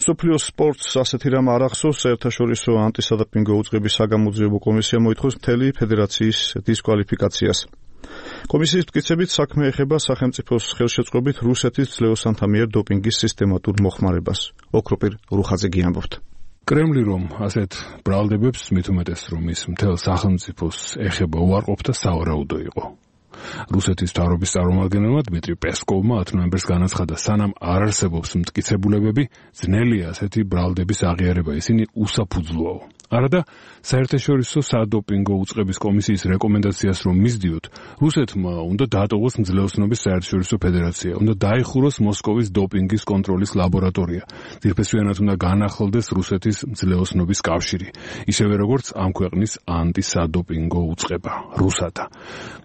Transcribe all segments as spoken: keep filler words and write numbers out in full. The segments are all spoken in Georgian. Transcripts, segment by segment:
მსოფლიოს სპორტს ასეთი რამ არ ახსოვს, საერთაშორისო ანტისადოპინგო უწყების საგამოძიებო კომისია მოითხოვს მთელი ფედერაციის დისკვალიფიკაციას. კომისიის მტკიცებით საქმე ეხება სახელმწიფოს ხელშეწყობით რუსეთის ძლევოსანთა მიერ დოპინგის სისტემატურ მოხმარებას. ოქროპირ რუხაძე გიამბობთ. კრემლი რომ ასეთ ბრალდებებს მით უმეტეს რომ ის მთელ სახელმწიფოს ეხება უარყოფ და სავარაუდო იყო. რუსეთის მთავრობის წარმომადგენელმა დმიტრი პესკოვმა ათი ნოემბერს განაცხადა, სანამ არ არსებობს მტკიცებულებები, ძნელია ასეთი ბრალდების აღიარება, ისინი უსაფუძვლოა. არადა საერთაშორისო სადოპინგო უწყების კომისიის რეკომენდაციას რომ მისდიოთ, რუსეთმა უნდა დაატოვოს მძლეოსნობის საერთაშორისო ფედერაცია, უნდა დაიხუროს მოსკოვის დოპინგის კონტროლის ლაბორატორია, ძირფესვიანად უნდა განახლდეს რუსეთის მძლეოსნობის კავშირი, ისევე როგორც ამ ქვეყნის ანტისადოპინგო უწყება, რუსათა.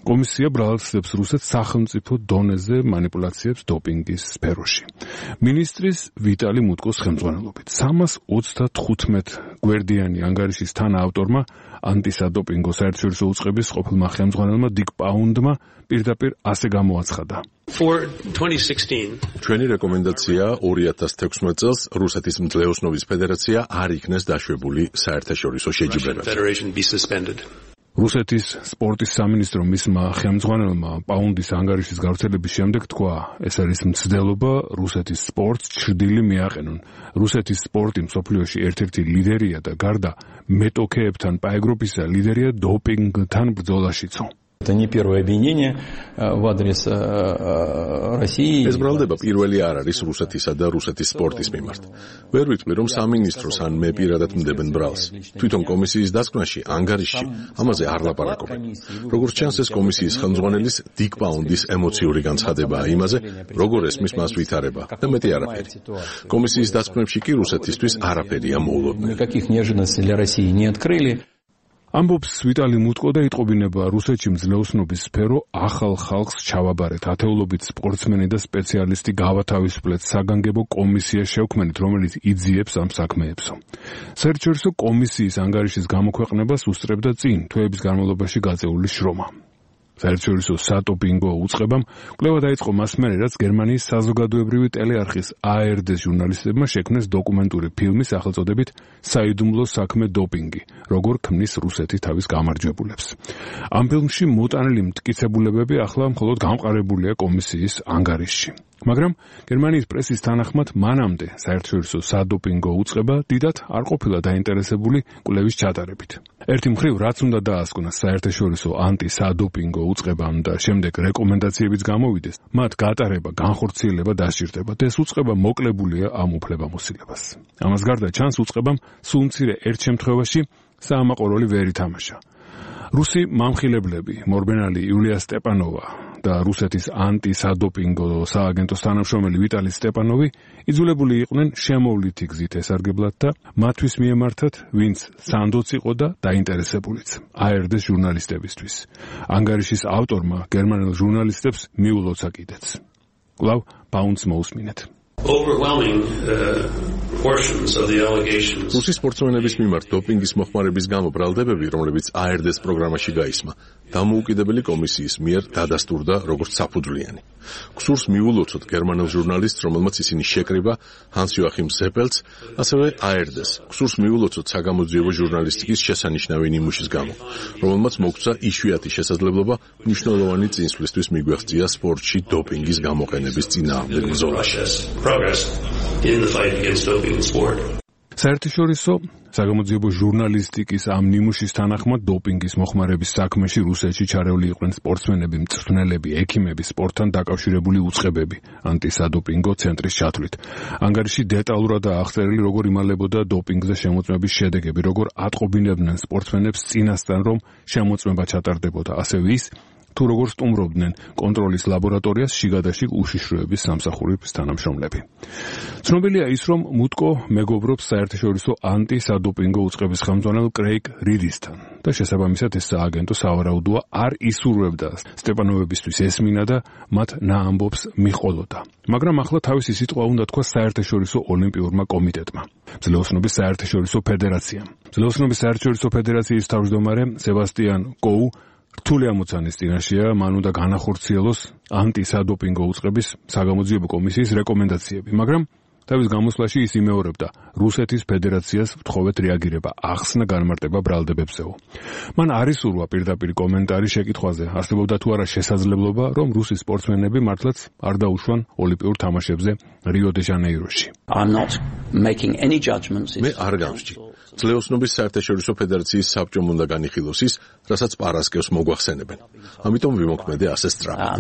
კომისია ბრალდებს რუსეთს სახელმწიფო დონეზე манипуляციებს დოპინგის სფეროში. მინისტრის ვიტალი მუტკოს ხელმძღვანელობით სამას ოცდათხუთმეტ გვერდიანი ანგარიშის თანაავტორმა ანტისადოპინგო საერთაშორისო უწყების ყოფილმა ხელმძღვანელმა დიკ პაუნდმა პირდაპირ ასე გამოაცხადა. ჩვენი რეკომენდაცია ორი ათას თექვსმეტ წელს რუსეთის მძლეოსნობის ფედერაცია არ იქნეს დაშვებული საერთაშორისო შეჯიბრებაზე. რუსეთის სპორტის სამინისტრო მისმა ხელმძღვანელმა პაუნდის ანგარიშის გავრცელების შემდეგ თქვა, ეს არის მცდელობა რუსეთის სპორტს ჩრდილი მიაყენონ. რუსეთის სპორტი მსოფლიოში ერთ-ერთი ლიდერია და გარდა მეტოქეებთან პაეგროფისა ლიდერია დოპინგთან ბრძოლაშიცო. Это не первое обвинение в адрес России. ეს ბრალდება პირველი არ არის რუსეთისა და რუსეთის სპორტის მიმართ. ვერ ვიტყვი რომ სამინისტროს ან მე პირადად მდებენ ბრალს. თვითონ კომისიის დასკვნაში, ანგარიშში ამაზე არ ლაპარაკობენ. როგორც ჩანს, ეს კომისიის ხელმძღვანელის დიკ პაუნდის ემოციური განცხადებაა იმაზე, როგორ ესმის მას ვითარება და მეტი არაფერი. კომისიის დასკვნებში კი რუსეთისთვის არაფერია მოულოდნელი. Никаких неожиданностей для России не открыли. ამბობს ვიტალი მუტკო და იტყობინება რუსეთში მძლეოსნობის სფერო ახალ ხალხს ჩავაბარეთ, ათეულობით სპორტსმენი და სპეციალისტი გავათავისუფლეთ, საგანგებო კომისია შევქმნით, რომელიც იძიებს ამ საქმეებსო. საერთაშორისო კომისიის ანგარიშის გამოქვეყნებას უსწრებდა წინ თვეების განმავლობაში გაწეული შრომა. საერთაშორისო სადოპინგო უწყებამ კვლევა დაიწყო მას მერე, რაც გერმანიის საზოგადოებრივი ტელეარხის A R D ჟურნალისტებმა შექმნეს დოკუმენტური ფილმი სახელწოდებით საიდუმლო საქმე დოპინგი, როგორ ქმნის რუსეთი თავის გამარჯვებულებს. ამ ფილმში მოტანილი მტკიცებულებები ახლა მხოლოდ გამყარებულია კომისიის ანგარიშში. მაგრამ გერმანიის პრესის თანახმად მანამდე საერთაშორისო სადოპინგო უწყება დიდად არ ყოფილა დაინტერესებული კვლევის ჩატარებით. ერთი მხრივ რაც უნდა დაასკვნას საერთაშორისო ანტისადოპინგო უწყებამ და შემდეგ რეკომენდაციებიც გამოვიდეს, მათ გატარება, განხორციელება დასჭირდება და ეს უწყება მოკლებულია ამ უფლებამოსილებას. ამას გარდა ჩანს უწყებამ სულ მცირე ერთ შემთხვევაში საამაყურებელი ვერ ითამაშა. რუსი მამხილებლები მორბენალი იულია სტეპანოვა და რუსეთის ანტისადოპინგო სააგენტოს თანამშრომელი ვიტალი სტეპანოვი იძულებული იყვნენ შემოვლითი გზით ესარგებლათ და მათთვის მიემართათ, ვინც სანდოც იყო და დაინტერესებულიც A R D ჟურნალისტებისთვის. ანგარიშის ავტორმა გერმანელ ჟურნალისტებს მიულოცა კიდეც. კვლავ პაუნდს მოусმინეთ. Overwhelming uh, portions of the allegations. რუსის სპორტსმენების მიმართ დოპინგის მოხმარების გამო ბრალდებები, რომლებიც A R D-ს პროგრამაში გაისმა, დამოუკიდებელი კომისიის მიერ დადასტურდა როგორც საფუძვლიანი. ქსურს მიულოცოთ გერმანელ ჟურნალისტს, რომელმაც ისინი შეკრიბა, ჰანს იოახიმ ზეპელს, ასევე A R D-ს. ქსურს მიულოცოთ საგამოძიებო ჟურნალისტიკის შესანიშნავი ნიმუშის გამო, რომელმაც მოგცა იშვიათი შესაძლებლობა მნიშვნელოვანი წინსვლისთვის მიგვეღწია სპორტში დოპინგის გამოყენების წინააღმდეგ ბრძოლაში. In the fight against doping in sport. საერთაშორისო საგამოძიებო ჟურნალისტიკის ამ ნიმუშის თანახმად დოპინგის მოხმარების საქმეში რუსეთში ჩარეული იყვნენ სპორტსმენები, მწვრთნელები, ექიმები, სპორტთან დაკავშირებული უწყებები, ანტისადოპინგო ცენტრის ჩათვლით. ანგარიში დეტალურადაა აღწერილი, როგორ იმალებოდა დოპინგზე შემოწმების შედეგები, როგორ ატყობინებდნენ სპორტსმენებს წინასწარ, რომ შემოწმება ჩატარდებოდა, ასევე ის, თუ როგორ სტუმრობდნენ კონტროლის ლაბორატორიას შიგადაშიგ უშიშროების სამსახურის თანამშრომლები. ცნობილია ის, რომ მუტკო მეგობრობს საერთაშორისო ანტისადოპინგო უწყების ხელმძღვანელ კრეიგ რიდისთან და შესაბამისად ეს სააგენტო სავარაუდოა არ ისურვებდა სტეპანოვებისთვის ესმინა და მათ ნაამბობს მიყოლოდა. მაგრამ ახლა თავისი სიტყვა უნდა თქვა საერთაშორისო ოლიმპიურმა კომიტეტმა, მძლეოსნობის საერთაშორისო ფედერაციამ. მძლეოსნობის საერთაშორისო ფედერაციის თავმჯდომარე სებასტიან კოუ რთული ამოცანის წინაშეა, მან უნდა განახორციელოს ანტისადოპინგო უწყების საგამოძიებო კომისიის რეკომენდაციები, მაგრამ თავის გამოსვლაში ის იმეორებდა რუსეთის ფედერაციას ვთხოვეთ რეაგირება ახსნა განმარტება ბრალდებებზეო. მან არ ისურვა პირდაპირ კომენტარი შეკითხვაზე, არსებობდა თუ არა შესაძლებლობა, რომ რუსი სპორტსმენები მართლაც არ დაუშვან ოლიმპიურ თამაშებზე რიო-დე-ჟანეიროში. მე არ გავსჯი. ძლეოსნობის საერთაშორისო ფედერაციის საბჭომ უნდა განიხილოს ის, რასაც პარასკევს მოგვახსენებენ. ამიტომ ვიმოქმედე ასე სწრაფად.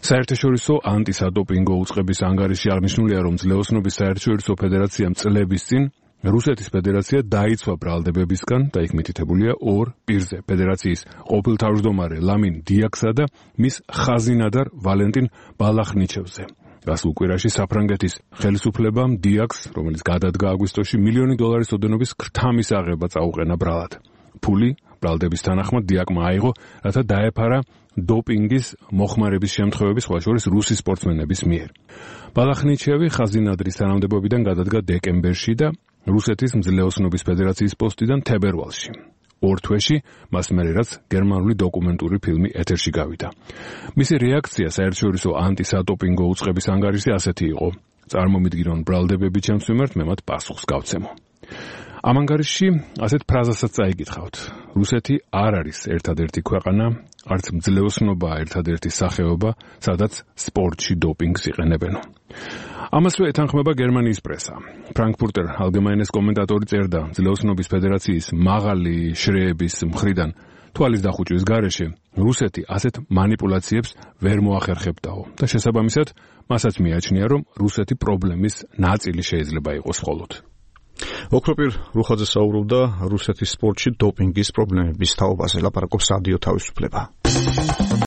საერთაშორისო ანტისადოპინგო უწყების ანგარიში აღნიშნულია, რომ ძლეოსნობის საერთაშორისო ფედერაციამ წლების წინ რუსეთის ფედერაცია დაიცვა ბრალდებებისგან და იქ მითითებულია ორ პირზე ფედერაციის ყოფილ თავმჯდომარე ლამინ დიაქსა და მის ხაზინადარ ვალენტინ ბალახნიჩევზე. გასულ კვირაში საფრანგეთის ხელისუფლებამ დიაქს, რომელიც გადადგა აგვისტოში, მილიონი დოლარის ოდენობის ქრთამის აღება წაუყენა ბრალად. ფული ბრალდების თანახმად დიაკმა აიღო, რათა დაეფარა დოპინგის მოხმარების შემთხვევები, სხვა შორის რუსი სპორტსმენების მიერ. ბალახნიჩევი ხაზინადრის თანამდებობიდან გადადგა დეკემბერში და რუსეთის მძლეოსნობის ფედერაციის პოსტიდან თებერვალში. ორ თვეში მას მერე რაც გერმანული დოკუმენტური ფილმი ეთერში გავიდა. მისი რეაქცია საერთაშორისო ანტისადოპინგო უწყების ანგარიშზე ასეთი იყო: წარმომიდგინონ ბრალდებები ჩემს მიმართ, მე მათ პასუხს გავცემო. ამ ანგარიშში ასეთ ფრაზასაც წაიკითხავთ: რუსეთი არ არის ერთადერთი ქვეყანა, არც მძლეოსნობა ერთადერთი სახეობა, სადაც სპორტში დოპინგს იყენებენო. ამასვე ეთანხმება გერმანიის პრესა. ფრანკფურტერ ალგემაინეს კომენტატორი წერდა, მძლეოსნობის ფედერაციის მაღალი შრეების მხრიდან თვალის დახუჭვის გარეშე რუსეთი ასეთ მანიპულაციებს ვერ მოახერხებდაო და შესაბამისად მასაც მიაჩნია, რომ რუსეთი პრობლემის ნაწილი შეიძლება იყოს მხოლოდ. ოქროპირ რუხაძე საუბრობდა რუსეთის სპორტში დოპინგის პრობლემების თაობაზე, ლაპარაკობს რადიო თავისუფლება.